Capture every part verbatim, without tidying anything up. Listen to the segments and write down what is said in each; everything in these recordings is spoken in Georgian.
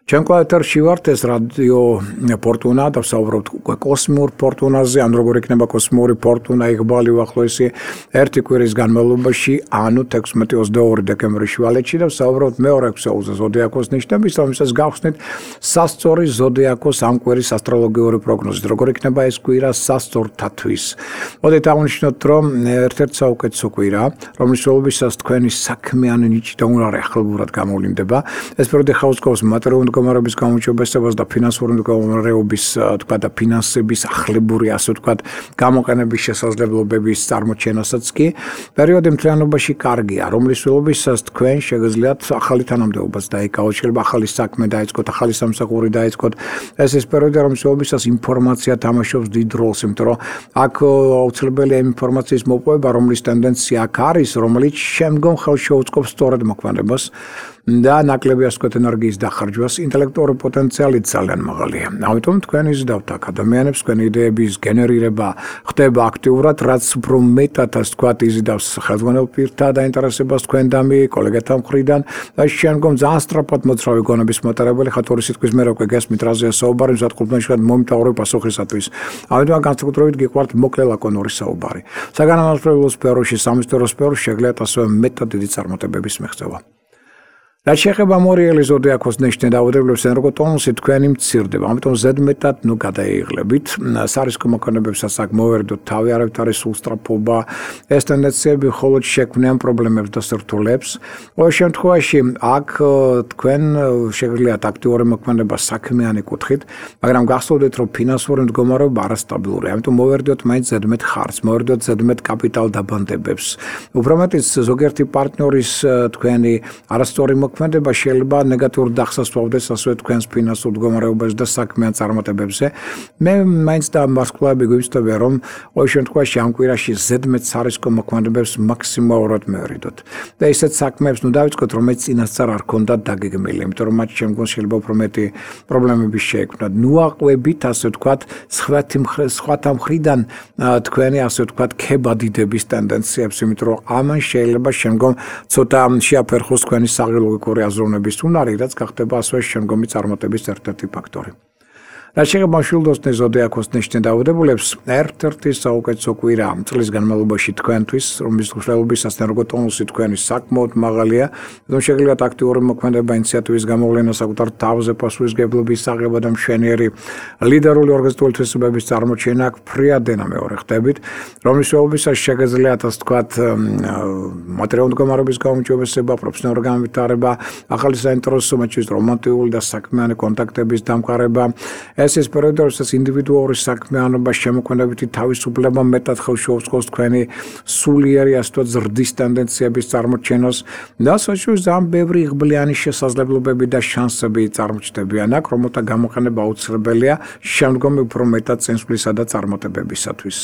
Ჩემ ეთერში ვართ ეს რადიო ფორტუნა და ვსაუბრობთ უკვე კოსმიურ ფორტუნაზე, ან როგორ იქნება კოსმიური ფორტუნა იღბალი უახლოესი ერთი კვირის განმავლობაში, ანუ თექვსმეტი ოცდაორი დეკემბრის შუალედში და ვსაუბრობთ მეორე ქსოულზე ზოდიაქოს ნიშნების, რომელსაც გავხსნით სასწორი ზოდიაქოს ამ კვირის ასტროლოგიური პროგნოზით. როგორ იქნება ეს კვირა სასწორთათვის. მოდით აღნიშნოთ, რომ ერთ-ერთი საუკეთესო კვირა, რომლის ველობისას თქვენი საქმიანი ნიჭი და უნარი ახლობურად გამოვლინდება. ეს პერიოდი ხაუწყობს მატერიალური მდგომარეობის გამოჩვენებას და ფინანსური მდგომარეობის თქვა და ფინანსების ახლებური ასე ვთქვათ გამოყენების შესაძლებლობების წარმოჩენასაც კი პერიოდი მთლიანობაში კარგია, რომლის ველობისას თქვენ შეგიძლიათ ახალი თანამდებობაც დაიკავოთ, შეიძლება ახალი საქმე დაიწყოთ, ახალი სამსახური დაიწყოთ. ეს ის პერიოდი, რომლის ველობისას ინფორმაცია თამაშობს დიდ როლს, იმიტომ რომ აქ აუცილებელია ინფორმაციის მოპოვება, რომლის ტენდენცია აქ არის, რომელიც შემდგომ ხელს შეუწყობს სწორად მოქმედებას და ნაკლები ასე ვთქვათ ენერგიის დახარჯვას, ინტელექტუალური პოტენციალი ძალიან მაღალია. ამიტომ თქვენ იზიდავთ აქ ადამიანებს, თქვენი იდეების გენერირება ხდება აქტიურად, რაც უფრო მეტად ასე ვთქვათ იზიდავს ხელმძღვანელ პირთა დაინტერესებას თქვენდამი, კოლეგათა მხრიდან და შემდგომ ძალიან სწრაფად მოძრავი გონების მატარებელი ხათორი სიტყვის მე უკვე გესმით რაზეა საუბარი, მზადყოფნაში მომიტავრო პასუხისათვის. ამიტომ განსაკუთრებით გიყვართ მოკლე ლაკონური საუბარი. საგანმანათლებლო სფეროში, სამეცნიერო სფეროში შეგიძლიათ ასევე მეტად დიდი წარმატებების მიღწევა. რაც შეეხება მორიელი ზოდიაქოს ნიშნით დაავადებებს ენერგოტონუსი თქვენი მცირდება, ამიტომ ზედმეტად ნუ გადაიღლებით. სარისკო მოქმედებებსაც აქ მოვერდოთ თავი, არავით არის სულსწრაფობა, ეს ტენდენციები მხოლოდ შექმნიან პრობლემებს და სირთულეებს. ყოველ შემთხვევაში აქ თქვენ შეგიძლიათ აქტიური მოქმედება საქმიანი კუთხით, მაგრამ გახსოვდეთ, რომ ფინანსური მდგომარეობა არასტაბილურია, ამიტომ მოვერდოთ მაინც ზედმეტ ხარჯს, მოვერდოთ ზედმეტ კაპიტალ დაბანდებებს. უფრო მეტიც ზოგიერთი პარტნიორის თქვენი არასწორი მოქმედება შეიძლება ნეგატიურ დახსას სვავდეს ასევე თქვენს ფინანსურ მდგომარეობაზე და საქმიან წარმატებებზე. მე მაინც და ვარსკვლავები გვივსწრებია, რომ ყოველ შემთხვევაში ამ კვირაში ზედმეტ სარისკო მოქმედებებს მაქსიმალურად მევერიდოთ. და ისეთ საქმეებს ნუ დავიწყოთ, რომელიც წინასწარ არ ქონდათ დაგეგმილი, იმიტომ რომ მათ შემდგომ შეიძლება უფრო მეტი პრობლემები შეექმნათ. ნუ აყვებით, ასე ვთქვათ, სხვათა მხრიდან თქვენი ასე ვთქვათ ქებადიდების ტენდენციებს, იმიტომ რომ ამან შეიძლება შემდგომ ცოტა შეაფერხოს თქვენი საღილო აზროვნების უნარი, რაც გახდება ასევე შემდგომი წარმატების ერთ-ერთი ფაქტორი. რაც შეეხება მშვილდოსნის ზოდიაქოს ნიშნით დაავადებულებს, ერთ-ერთი საუკეთესო კვირა წლის განმავლობაში თქვენთვის, რომლის მშვილდოსის ენერგოტონუსი თქვენი საკმაოდ მაღალია, რომ შეგიძლიათ აქტიური მოქმედება, ინიციატივის გამოვლენა, საკუთარ თავზე პასუხისმგებლობის აღება და მშვენიერი ლიდერული ორგანიზებული თვისებების წარმოჩენა აქ ფრიადენა მეორე ხდებით, რომლის მშვილდოსის შეგიძლიათ ასე ვთქვათ მატერიალური მდგომარეობის გაუმჯობესება, პროფესიონალური განვითარება, ახალი საინტერესო მოჩვენების რომანტიკული და საქმიანი კონტაქტების დამყარება. ეს ის პერიოდი, როდესაც ინდივიდუალური საქმიანობა შემოქმედებითი თავისუფლება მეტად ხელს შეუწყობს თქვენი სულიერი ასე ვთქვათ ზრდის ტენდენციების წარმოჩენას და საშუალო ძალიან ბევრი იღბლიანი შესაძლებლობები და შანსები წარმოჩნდებიან აქ, რომელთა გამოყენება აუცილებელია შემდგომი უფრო მეტად წინსვლისა და წარმატებებისათვის.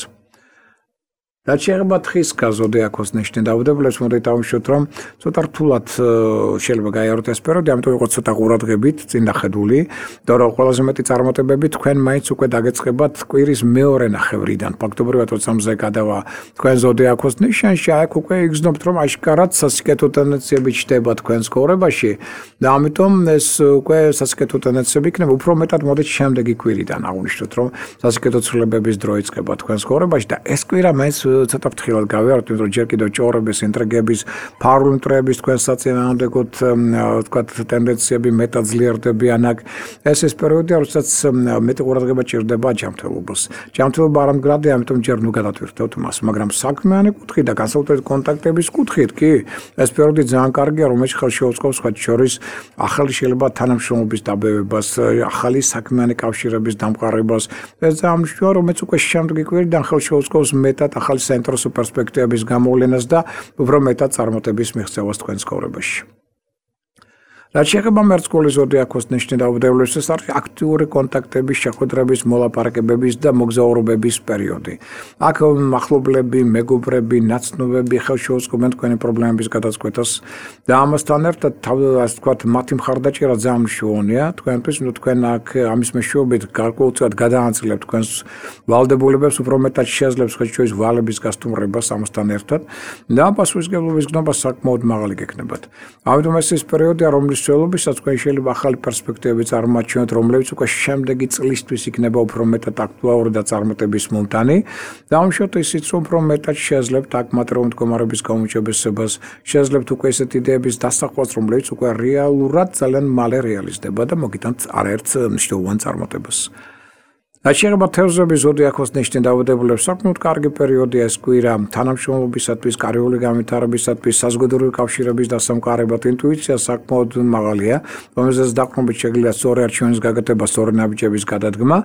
რაც შეეხება თხის ზოდიაქოს ნიშნით დაავადებულებს, მოდით დავუშვათ, რომ ცოტა რთულად შეიძლება გაიაროთ ეს პერიოდი, ამიტომ იყო ცოტა ყურადღებით წინ დახედული და რომ ყველაზე მეტი წარმატებები თქვენ მაინც უკვე დაგეწყებათ კვირის მეორე ნახევრიდან. ფაქტობრივად როცა მზე გადავა თქვენ ზოდიაქოს ნიშანში, აქ უკვე იგრძნობთ, რომ აშკარად სასიკეთო ტენდენციები ჩნდება თქვენს ცხოვრებაში და ამიტომ ეს უკვე სასიკეთო ტენდენციები იქნება. უფრო მეტად მოდით შემდეგი კვირიდან აღვნიშნოთ, რომ სასიკეთო ცვლილებების დრო იწყება თქვენს ცხოვრებაში და ეს კვირა მაინც ცოტა ფრთხილად გავიაროთ, იმიტომ რომ ჯერ კიდევ ჭორების, ინტრიგების, ფარული მტრების თქვენს საწინააღმდეგოდ ვთქვათ ტენდენციები მეტად ძლიერდებიან აქ. ეს ის პერიოდია, როდესაც მეტი ყურადღება ჭირდება ჯანმრთელობას. ჯანმრთელობა არ ამდგრადია, ამიტომ ჯერ ნუ გადავთვირთოთ მას, მაგრამ საქმიანი კუთხით და განსაკუთრებით კონტაქტების კუთხით კი ეს პერიოდი ძალიან კარგია, რომელიც ხელს შეუწყობს სხვათა შორის ახალი შეიძლება თანამშრომლობის დაბევებას, ახალი საქმიანი კავშირების დამყარებას. ეს ძალიან მნიშვნელოვანია, რომელიც უკვე შემდეგი კვირიდან ხელს შეუწყობს მეტად ახალი საინტერესო პერსპექტივების გამოვლენას და უფრო მეტად წარმატების მიღწევას თქვენს ცხოვრებაში. რაც შეეხება მერწყული ზოდიაქოს ნიშნით დაავადებულებს, ეს არის აქტიური კონტაქტების, შეხვედრების, მოლაპარაკებების და მოგზაურობების პერიოდი. აქ ახლობლები, მეგობრები, ნაცნობები ხელს შეუწყობენ თქვენი პრობლემების გადაწყვეტას და ამასთან ერთად, ასე ვთქვათ, მათი მხარდაჭერა ძალიან მნიშვნელოვანია თქვენთვის, ნუ თქვენ აქ ამის მეშვეობით გარკვეულწილად გადაანაწილებთ თქვენს ვალდებულებებს, უფრო მეტად შეძლებს ხელშეუწყოს ვალების გასტუმრებას ამასთან ერთად და პასუხისმგებლობის გნობა საკმაოდ მაღალი გექნებათ. ამიტომ ეს ის პერიოდია, რომლის პერიოდის სველობისაც თქვენ შეიძლება ახალი პერსპექტივები წარმოაჩინოთ, რომლებიც უკვე შემდეგი წლისთვის იქნება უფრო მეტად აქტუალური და წარმატების მომტანი. Დავუშვათ ისიც, რომ უფრო მეტად შეძლებთ აქ მატერიალური მდგომარეობის გაუმჯობესებას, შეძლებთ უკვე ესეთ იდეების დასახვას, რომლებიც უკვე რეალურად ძალიან მალე რეალიზდება და მოგიტანთ არაერთ მნიშვნელოვან წარმატებას. Aceea თევზები ზოდიაქოს ნიშნის დაავადებულებს საკმაოდ კარგი პერიოდია ეს კვირა თანამშრომლობისათვის, კარიული განვითარებისათვის, საზოგადოებრივი კავშირების დასამყარებლად, ინტუიცია საკმაოდ მაღალია, რომელზეც დაყრდნობით შეგიძლიათ სწორი არჩევნის გაკეთება, სწორი ნაბიჯების გადადგმა.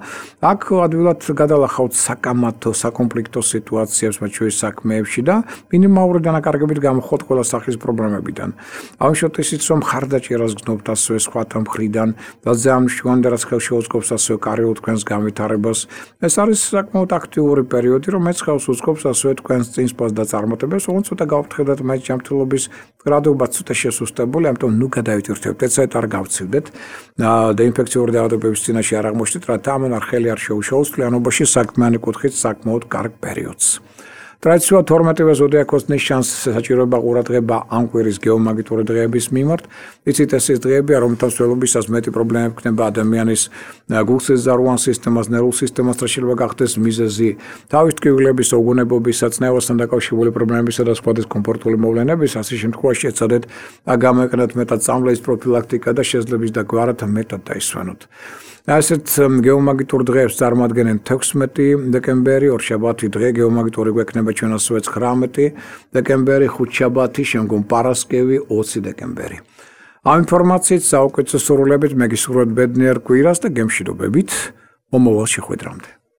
აქ ადვილად გადალახავთ საკამათო, საკონფლიქტო სიტუაციებს მათ შორის საქმეებში და მინიმალური დანაკარგებით გამოხოთ ყველა სახის პრობლემებიდან. Ამჟამად ისიც რომ ხარდაჭერას გნობთ ასევე სხვათა მხრიდან და ზამშვან და რაც ხელს შეუწყობს ასევე კარიულ თქვენს განვითარებას. ეს არის საკმაოდ აქტიური პერიოდი, რომელიც ხელს უწყობს ასევე თქვენს წინსვლას და წარმატებებს, ოღონდ ცოტა გავფრთხილდეთ მაინც ჯანმრთელობის გრადუობა ცოტა შესუსტებული, ამიტომ ნუ გადავიტვირთებთ, ეცეთ არ გავცივდეთ და ინფექციური დაავადებების წინაშე არ აღმოჩნდეთ, რათა ამან არ ხელი არ შეუშალოს თლიანობაში საქმიანი კუთხით საკმაოდ კარგ პერიოდს. Ტრადიციულად თორმეტივე ზოდიაქოს ნიშანს საჭიროება ყურადღება ამ კვირის გეომაგნიტური დღეების მიმართ. იცით ეს ის დღეებია, რომელთა მსვლელობისას მეტი პრობლემები ქნება ადამიანის გულსეზარუან სისტემას, ნერვულ სისტემას და შეიძლება გახდეს მიზეზი თავის ტკივილების, უგონებობისა, წნევასთან დაკავშირებული პრობლემებისა და სხვა დისკომფორტული მოვლენების. ასე შემთხვევაში ეცადეთ გამეკნათ მეტად წამლების პროფილაქტიკა და შეძლების და გვარად მეტად დაისვენოთ. ასეთ გეომაგნიტურ დღეებს წარმოადგენენ თექვსმეტი დეკემბერი, ორშაბათი დღე გეომაგნიტური გვექნება ჩვენ ასევე ცხრამეტი დეკემბერი, ხუთშაბათი, შემდგომ პარასკევი ოცი დეკემბერი. ამ ინფორმაციით საუკეთესო სურვილებით მე გისურვებთ ბედნიერ კვირას და გემშვიდობებით მომავალ შეხვედრამდე.